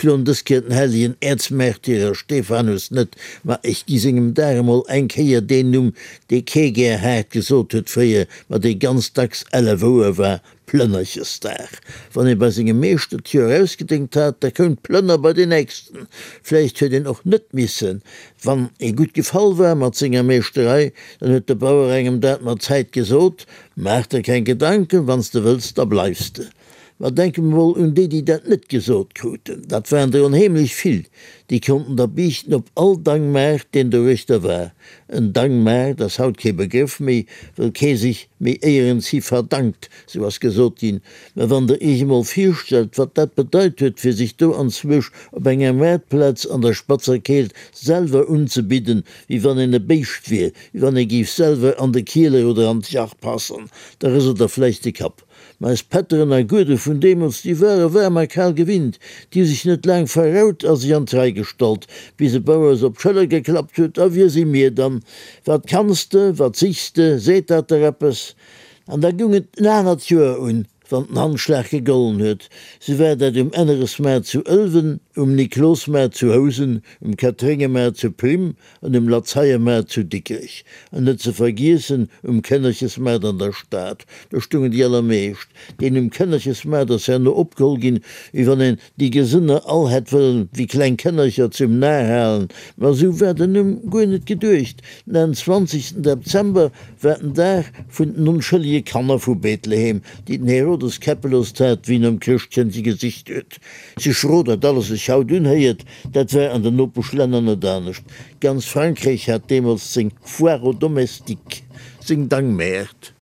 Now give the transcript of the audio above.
ploen dës Kéier den hellegen Äerzmärtyrer Stephanus net, ma ech gi sengem Dag emol eng Kéier deen Numm, dee kee gär haart gesot huet fréier, ma dee ganz dacks elle wouer war, Plënnerchesdag. Wann ee bei sengem Meeschter d'Joer ausgedéngt hat, da koum d'Plënner bei den nächsten. Vläicht huet een och net missen. Wann ee gutt gefall war mat senger Meeschterei, dann huet de Bauer engem dat mat Zäit gesot, Maach der keng Gedanken, wann s de wëlls, da bleifs de. Ma denke mer mol un déi, déi dat net gesot kruten. Dat waren der onheemlech vill. Déi konnten da biichten op all Dangmaart, deen doruechter war. En Dangmaart ass haut kee Begrëff méi, wëll kee sech méi éierens hi verdankt, sou ass gesot ginn. Mä wann der iech emol virstellt, wat dat bedeit huet, fir sech do anzwousch op enger Maartplaz an der spatzer Keelt selwer unzebidden, wéi wann een e Béischt wier, wéi wann ee géif selwer an de Kieler oder an d'Jach passen, da rëselt der vläicht de Kapp. Ma eis Pätteren a Guede vun deemools, déi ware waarm a kal gewinnt. Déi hu sech net laang verraut a sech an d'Rei gestallt, bis e Bauer se op d'Schëller geklappt huet, A wie si mir dann? Wat kanns de? Wat sichs de? Seet dat der eppes? An da gung et en anert Joer un, wann den Handschlag gegollen huet. Sou war dat um Enneresmaart zu Ëlwen, um Niklosmaart zu Housen, um Katréngemaart zu Prim, an um Lazeiermaart zu Dikrech, an net ze vergiessen um Kënnerchesmaart an der Stad, do stungen déi allermeescht. Deen um Kënnerchesmaart ass herno opgeholl ginn, wéi wann een déi Gesënner all hätt wëllen wéi kleng Kënnercher zum Nar halen, ma esou war den Numm guer net geduecht. Den 21 Dezember war den Dag vun den onschëllege Kanner vu Bethlehem, déi den Herodes käppeloost hat, wéi en nom Chrëschtkëndche gesicht huet. Sou schro dat alles sech haut unhéiert, dat war an den Nopeschlänner net anescht. Ganz Frankréich hat deemools seng Foire aux domestiques, seng Dangmäert.